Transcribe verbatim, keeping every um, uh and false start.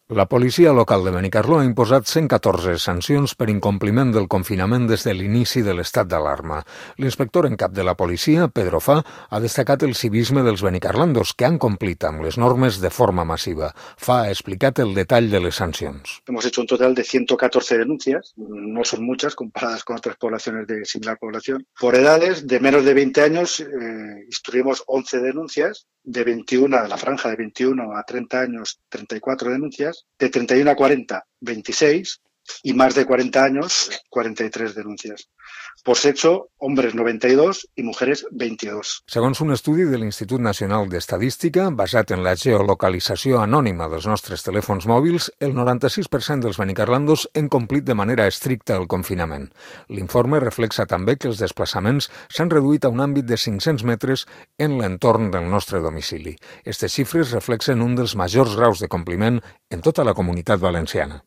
La policia local de Benicarló ha imposat cent catorze sancions per incompliment del confinament des de l'inici de l'estat d'alarma. L'inspector en cap de la policia, Pedro Fa, ha destacat el civisme dels benicarlandos, que han complit amb les normes de forma massiva. Fa ha explicat el detall de les sancions. Hemos hecho un total de ciento catorce denuncias, no son muchas comparadas con otras poblaciones de similar población. Por edades de menos de veinte años, eh, instruimos once denuncias, de veintiuno, la franja de veintiuno a treinta años, treinta y cuatro denuncias, de treinta y uno a cuarenta, veintiséis, y más de cuarenta años, cuarenta y tres denuncias. Por sexo, hombres noventa y dos i mujeres veintidós. Segons un estudi de l'Institut Nacional d'Estadística, basat en la geolocalització anònima dels nostres telèfons mòbils, el noranta-sis per cent dels benicarlandos han complit de manera estricta el confinament. L'informe reflexa també que els desplaçaments s'han reduït a un àmbit de cinc-cents metres en l'entorn del nostre domicili. Aquestes xifres reflexen un dels majors graus de compliment en tota la Comunitat Valenciana.